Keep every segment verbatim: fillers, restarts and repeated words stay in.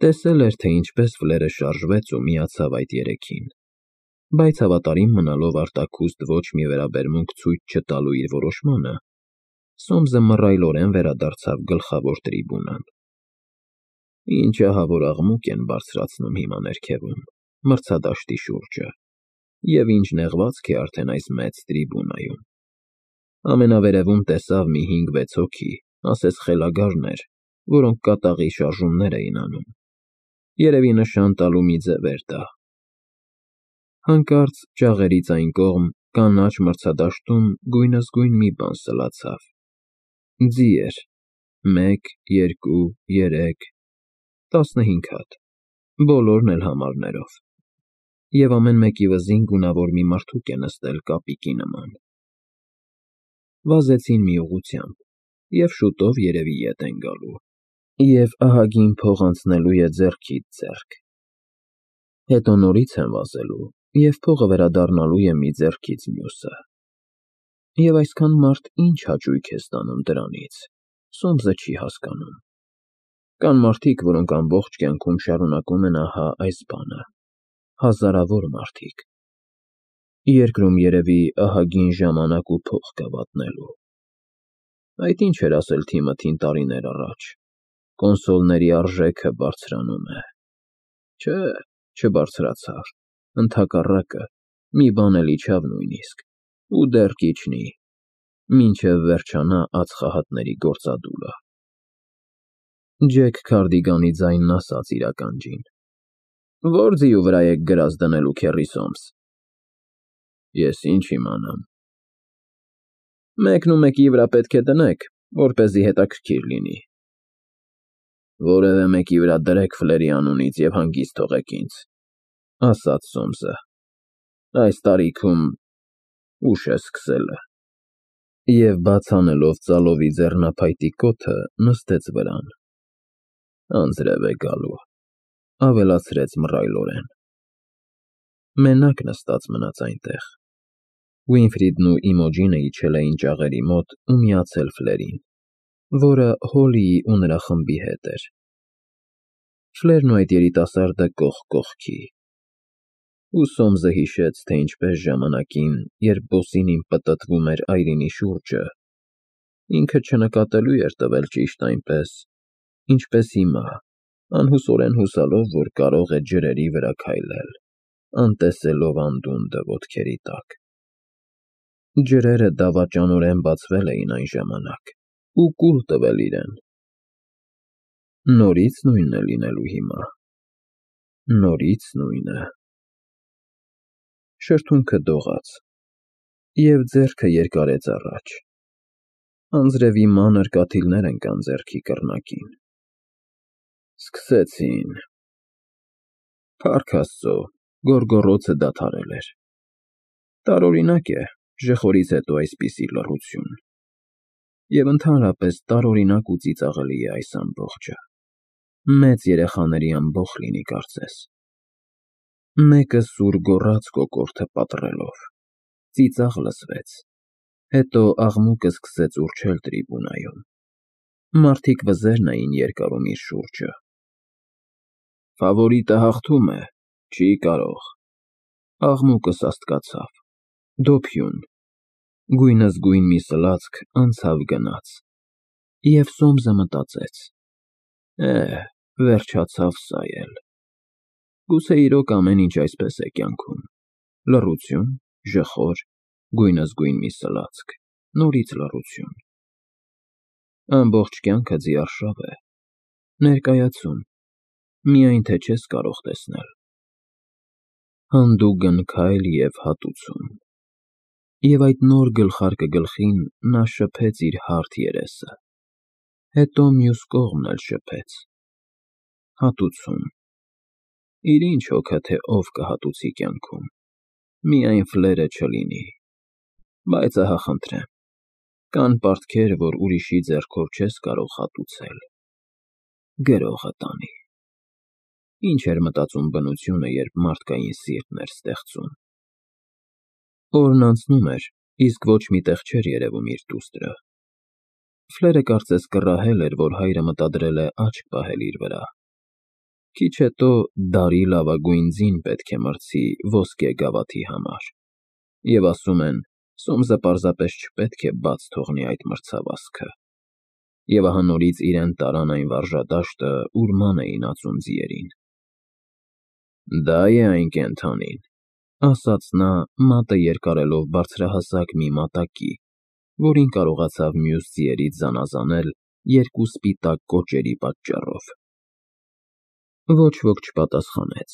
Տեսել էր, թե ինչպես Ֆլերը շարժվեց ու միացավ այդ երեքին, բայց հավատարիմ մնալով արտաքուստ ոչ մի վերաբերմունք ցույց չտալու իր որոշմանը, Սոմսը մռայլորեն վերադարձավ գլխավոր տրիբունան։ Ինչ ահավոր աղմուկ են բարձրացնում հիմա ներքևում, մրցադաշտի շուրջը, և ինչ նեղվածք է արդեն այս մեծ տրիբունայում։ Ամենավերևում տեսավ մի հինգ֊վեց հոգի, ասես խելագարներ, որոնք կատաղի շարժումներ էին անում։ Երևի նշան տալու մի ձև էր դա։ Հանկարծ ջաղերից այն կողմ կանաչ մրցադաշտում գույնզգույն մի բան սլացավ։ Ձի էր, մեկ, երկու, երեք, տասնհինգ հատ, բոլորն էլ համարներով, և ամեն մեկի վզին գունավոր մի մարդուկ է նստել կապիկի նման։ Վազեցին մի ուղղությամբ, և շուտով երևի ետ են գալու, և ահագին փող անցնելու է ձեռքից ձեռք, հետո նորից են վազելու, և փողը վերադառնալու է մի ձեռքից մյուսը։ Եվ այսքան մարդ ինչ հաճույք է ստանում դրանից, Սոմսը չի հասկանում։ Կան մարդիկ, որոնք ամբողջ կյանքում շարունակում են ահա այս բանը, հազարավոր մարդիկ։ Երկրում երևի ահագին ժամանակ ու փող կա վատնելու։ Այդ ինչ էր ասել Թիմոթին տարիներ առաջ. կոնսոլների արժեքը բարձրանում է։ Չէ, չբարձրացավ, ընդհակառակը, մի բան էլ իջավ նույնիսկ, ու դեռ կիջնի, մինչև վերջանա ածխահատների գործադուլը։ Ջեք Քարդիգանի ձայնն ասաց իր ականջին. Ո՞ր ձիու վրա եք գրազ դնելու, քեռի Սոմս։ Ես ինչ իմանամ։ Մեկն ու մեկի վրա պետք է դնեք, որպեսզի հետաքրքիր լինի։ Որևէ մեկի վրա դրեք Ֆլերի անունից և հանգիստ թողեք ինձ, ասաց Սոմսը, այս տարիքում ուշ է սկսելը, և բաց անելով ծալովի ձեռնափայտի կոթը, նստեց վրան։ Անձրև է գալու, ավելացրեց մռայլորեն։ Մենակ նստած մնաց այնտեղ։ Վինֆրիդն ու Իմոջինը իջել էին ջաղերի մոտ ու միացել Ֆլերին, որը Հոլիի ու նրա խմբի հետ էր։ Ֆլերն ու այդ երիտասարդը կողք կողքի։ Ու Սոմսը հիշեց, թե ինչպես ժամանակին, երբ Բոսինին պտտվում էր այրինի շուրջը, ինքը չնկատելու էր տվել ճիշտ այնպես, ինչպես հիմա, անհուսորեն հուսալով, որ կարող է ջրերի վրա քայլել, անտեսելով անդունդը ոտքերի տակ։ Ջրերը դավաճանորեն բացվել էին այն ժամանակ ու կուլ տվել իրեն։ Նորից նույնն է լինելու հիմա, նորից նույնը։ Շրթունքը դողաց, և ձեռքը երկարեց առաջ։ Անձրևի մանր կաթիլներ ընկան ձեռքի կռնակին։ Սկսեցին։ Փառք Աստծո, գոռգոռոցը դադարել էր։ Տարօրինակ է ժխորից հետո այսպիսի լռություն, և ընդհանրապես տարօրինակ ու ծիծաղելի է այս ամբողջը։ Մեծ երեխաների ամբոխ լինի կարծես։ Մեկը սուր գոռաց կոկորդը պատռելով, ծիծաղ լսվեց, հետո աղմուկը սկսեց ուռչել տրիբունայում։ Մարդիկ վզերն էին երկարում իր շուրջը։ Ֆավորիտը հաղթում է, չի կարող։ Աղմուկը սաստկացավ, դոփյուն, գույնզգույն մի սլացք անցավ գնաց, և Սոմսը մտածեց. Է, վերջացավ սա էլ։ Գուցե իրոք ամեն ինչ այսպես է կյանքում, լռություն, ժխոր, գույնզգույն մի սլացք, նորից լռություն։ Ամբողջ կյանքը ձիարշավ է, ներկայացում, միայն թե չես կարող տեսնել։ Հանդուգն քայլ և հատուցում։ Եվ այդ նոր գլխարկը գլխին նա շփեց իր հարթ երեսը, հետո մյուս կողմն էլ շփեց։ Հատուցում։ Իր ինչ հոգը, թե ով կհատուցի կյանքում, միայն Ֆլերը չլինի։ Բայց ահա խնդրեմ, կան պարտքեր, որ ուրիշի ձեռքով չես կարող հատուցել։ Գրողը տանի։ Ինչ էր մտածում բնությունը, երբ մարդկային սիրտն էր ստեղծում։ Օրն անցնում էր, իսկ ոչ մի տեղ չէր երևում իր դուստրը։ Ֆլերը կարծես կռահել էր, որ հայրը մտադրել է աչք պահել իր վրա։ Քիչ հետո դարի լավագույն ձին պետք է մրցի ոսկե գավաթի համար, և ասում են, Սոմսը պարզապես չպետք է բաց թողնի այդ մրցավազքը, և ահա նորից իրեն տարան այն վարժադաշտը, ուր ման էին ածում ձիերին։ «Դա է այն կենդանին», ասաց նա, մատը երկարելով բարձրահասակ մի մատակի, որին կարողացավ մյուս ձիերից զանազանել երկու սպիտակ կոճերի պատճառով։ Ոչ ոք չպատասխանեց,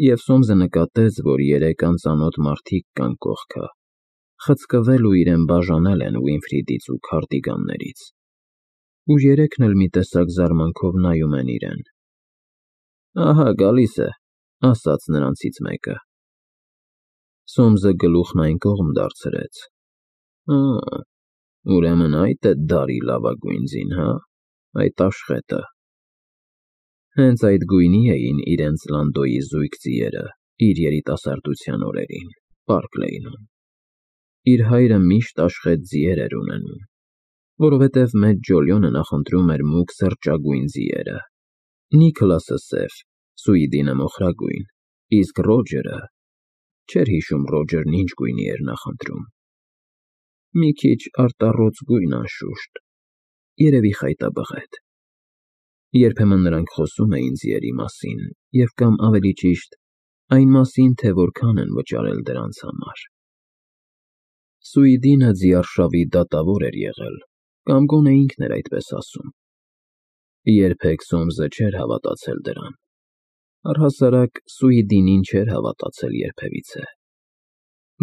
և Սոմսը նկատեց, որ երեք անծանոթ մարդիկ կան կողքը, խցկվել ու իրեն բաժանել են Վինֆրիդից ու քարտիգաններից, ու երեքն էլ մի տեսակ զարմանքով նայում են իրեն։ «Ահա գալիս է», ասաց նրանցից մեկը։ Սոմսը գլուխն այն կողմ դարձրեց։ «Ա, ուրեմն այդ է դարի լավագույն ձին, հա՞, այդ աշխետը»։ Հենց այդ գույնի էին իրենց Լանդոյի զույգ ձիերը իր երիտասարդության օրերին Պարկ Լեյնում։ Իր հայրը միշտ աշխետ ձիեր էր ունենում, որովհետև մեծ Ջոլիոնը նախընտրում էր մուգ սրճագույն ձիերը, Նիքլասը՝ սև, Սուիդինը՝ մոխրագույն, իսկ Ռոջերը… չէր հիշում Ռոջերն ինչ գույնի էր նախընտրում։ Մի քիչ արտառոց գույն, անշուշտ, երևի խայտաբղետ։ Երբեմն նրանք խոսում էին ձիերի մասին և կամ ավելի ճիշտ, այն մասին, թե որքան են վճարել դրանց համար։ Սուիդինը ձիարշավի դատավոր էր եղել, կամ գոնե ինքն էր այդպես ասում։ Երբեք Սոմսը չէր հավատացել դրան, առհասարակ Սուիդինին չէր հավատացել երբևիցե։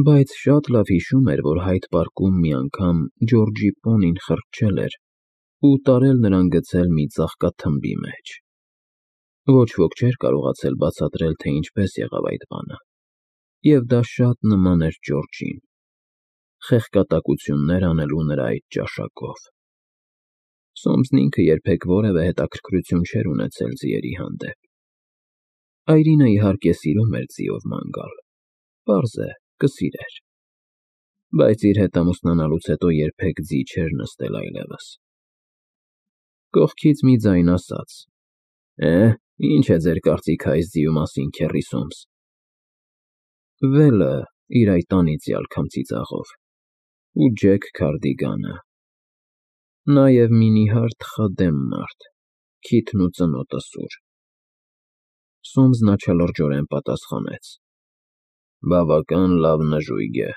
Բայց շատ լավ հիշում էր, որ Հայդ Պարկում մի անգամ Ջորջի պոնին խրճել էր ու տարել նրան գցել մի ծաղկաթմբի մեջ։ Ոչ ոք չէր կարողացել բացատրել, թե ինչպես եղավ այդ բանը, և դա շատ նման էր Ջորջին, խեղկատակություններ անելու նրա այդ ճաշակով։ Սոմսն ինքը երբեք որևէ հետաքրքրություն չէր ունեցել ձիերի հանդեպ։ Այրինը, իհարկե, սիրում էր ձիով ման գալ, պարզ է, կսիրեր, բայց իր հետ ամուսնանալուց հետո երբեք ձի չէր նստել այլևս։ Կողքից մի ձայն ասաց. «Է, ի՞նչ է ձեր կարծիքը այս ձիու մասին, քեռի Սոմս»։ Վելը իր այդ անիծյալ քմծիծաղով, ու Ջեք Քարդիգանը, նաև մի նիհար թխադեմ մարդ, քիթն ու ծնոտը սուր։ Սոմսն աչալրջորեն պատասխանեց. «Բավական լավ նժույգ է»։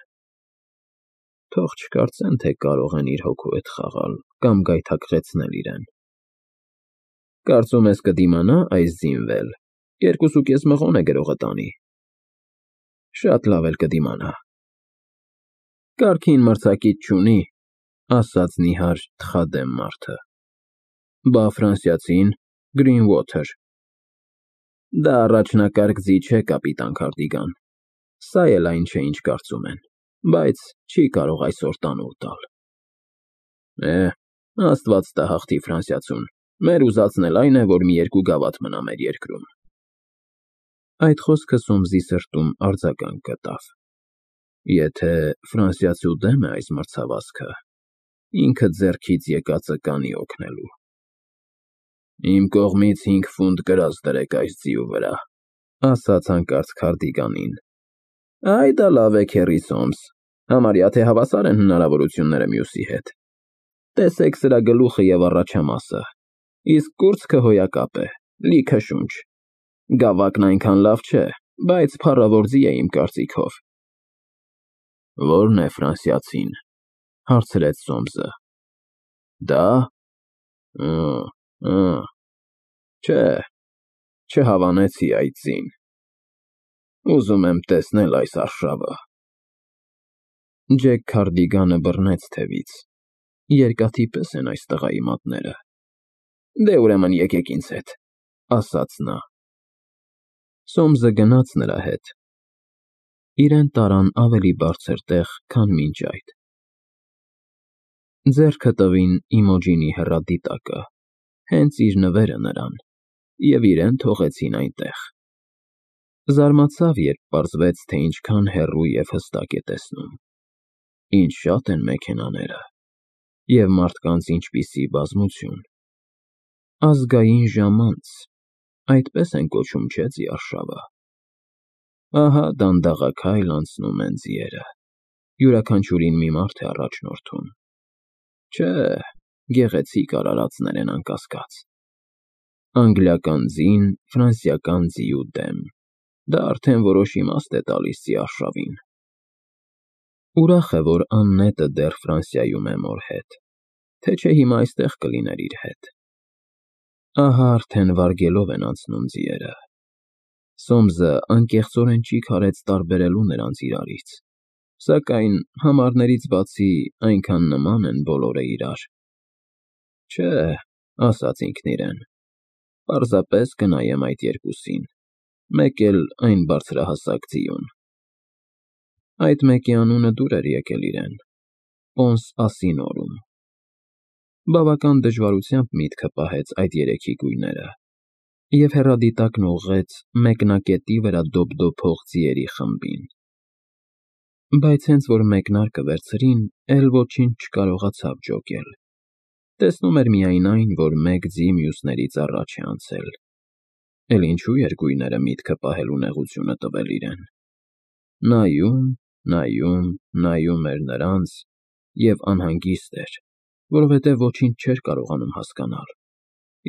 Թող չկարծեն, թե կարող են իր հոգու հետ խաղալ կամ գայթակղեցնել իրեն։ «Կարծում ես կդիմանա այս ձին, Վել, երկուսուկես մղոն է գրողը տանի»։ Շատ լավ էլ կդիմանա։ «Կարգին մրցակից չունի», ասաց նիհար թխադեմ մարդը։ Բա ֆրանսիացին՝ Գրինուոթեր։ Դա առաջնակարգ ձի չէ, կապիտան Քարդիգան, սա էլ այն չէ, ինչ կարծում են, բայց չի կարող այսօր տանուլ տալ։ Է, Աստված տա հաղթի ֆրանսիացուն, մեր ուզածն էլ այն է, որ մի երկու գավաթ մնա մեր երկրում։ Այդ խոսքը Սոմսի սրտում արձագանք գտավ։ Եթե ֆրանսիացու դեմ է այս մրցավազքը, ինքը ձեռքից եկածը կանի օգնելու։ Իմ կողմից հինգ ֆունտ կրած դրեք այս ձիու վրա, ասաց հանկարծ Քարդիգանին։ Այ դա լավ է, քեռի Սոմս, համարյա թե հավասար են հնարավորությունները մյուսի հետ։ Տեսեք սրա գլուխը և առաջամասը, իսկ կուրծքը հոյակապ է, լիքը շունչ։ Գավակն այնքան լավ չէ, բայց փառավոր ձի է իմ կարծիքով։ Ո՞րն է ֆրանսիացին, հարցրեց Սոմսը։ Դա… Ա, ա, չէ, չհավանեցի այդ ձին։ Ուզում եմ տեսնել այս արշավը։ Ջեք Քարդիգանը բռնեց թևից, երկաթի պես են այս տղայի մատները։ Դե ուրեմն եկեք ինձ հետ, ասաց նա։ Սոմսը գնաց նրա հետ։ Իրեն տարան ավելի բարձր տեղ, քան մինչ այդ։ Ձեռքը տվին Իմոջինի հեռադիտակը, հենց իր նվերը նրան, և իրեն թողեցին այնտեղ։ Զարմացավ, երբ պարզվեց, թե ինչքան հեռու և հստակ է տեսնում։ Ինչ շատ են մեքենաները, և մարդկանց ինչպիսի բազմություն։ Ազգային ժամանց, Այդպես են կոչում, չէ՞, ձիարշավը։ Ահա դանդաղաքայլ անցնում են ձիերը, յուրաքանչյուրին մի մարդ է առաջնորդում։ Չէ, գեղեցիկ արարածներ են անկասկած։ Անգլիական ձին ֆրանսիական ձիու դեմ, դա արդեն որոշ իմաստ է տալիս ձիարշավին։ Ուրախ է, որ Աննետը դեռ Ֆրանսիայում է մոր հետ, թե չէ հիմա այստեղ կլիներ իր հետ։ Ահա արդեն վարգելով են անցնում ձիերը։ Սոմսը անկեղծորեն չի քարեց տարբերելու նրանց իրարից, սակայն համարներից բացի այնքան նման են բոլորը իրար։ Չէ, ասաց ինքն իրեն, պարզապես կնայեմ այդ երկուսին, մեկ էլ այն բարձրահասակ ձիուն։ Այդ մեկի անունը դուր էր եկել իրեն՝ Պոնս Ասինոռում։ Բավական դժվարությամբ միտքը պահեց այդ երեքի գույները և հեռադիտակն ուղղեց մեկնակետի վրա դոպդոպող ձիերի խմբին։ Բայց հենց որ մեկնարկը վերցրին, էլ ոչինչ չկարողացավ ջոկել։ Տեսնում էր միայն այն, որ մեկ ձի մյուսներից առաջ է անցել։ Էլ ինչու էր գույները միտքը պահելու նեղությունը տվել իրեն։ Նայում, նայում, նայում էր նրանց և անհանգիստ էր, որովհետև ոչինչ չէր կարողանում հասկանալ,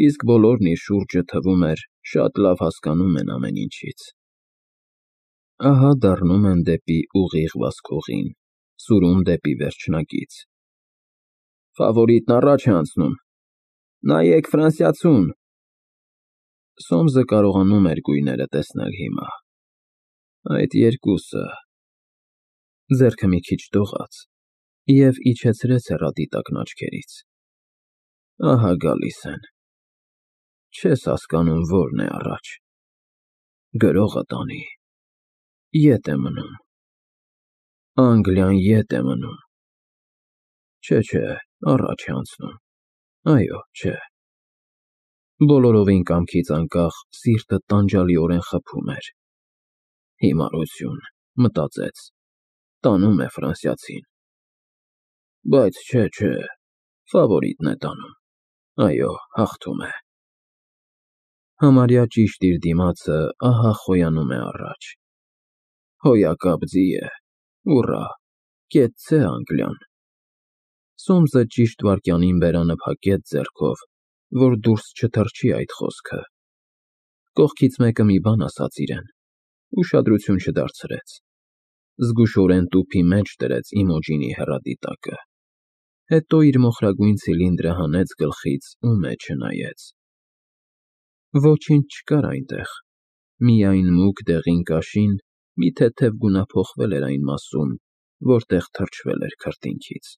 իսկ բոլորն իր շուրջը, թվում էր, շատ լավ հասկանում են ամեն ինչից։ Ահա դառնում են դեպի ուղիղ վազքողին, սուրում դեպի վերջնակից։ Ֆավորիտն առաջ է անցնում, նայեք ֆրանսիացուն։ Սոմսը կարողանում էր գույները տեսնել հիմա։ Այդ երկուսը… Ձեռքը մի քիչ դողաց և իջեցրեց հեռադիտակն աչքերից։ Ահա գալիս են։ Չես հասկանում որն է առաջ։ Գրողը տանի։ Ետ է մնում։ Անգլիան ետ է մնում։ Չէ, չէ, առաջ է անցնում։ Այո, չէ։ Բոլորովին կամքից անկախ սիրտը տանջալիորեն խփում էր։ Հիմարություն, մտածեց, տանում է ֆրանսիացին։ Բայց չէ, չէ, ֆավորիտն է տանում, այո, հաղթում է։ Համարյա ճիշտ իր դիմացը ահա խոյանում է առաջ։ Հոյակապ ձի է, ուռա, կեցցե Անգլիան։ Սոմսը ճիշտ վայրկյանին բերանը փակեց ձեռքով, որ դուրս չթռչի այդ խոսքը։ Կողքից մեկը մի բան ասաց իրեն, ուշադրություն չդարձրեց։ Զգուշորեն տուփի մեջ դրեց Իմոջինի հեռադիտակը, հետո իր մոխրագույն ցիլինդրը հանեց գլխից ու մեջը նայեց։ Ոչինչ չկար այնտեղ, միայն մուգ դեղին կաշին մի թեթև գունափոխվել էր այն մասում, որտեղ թրջվել էր քրտինքից։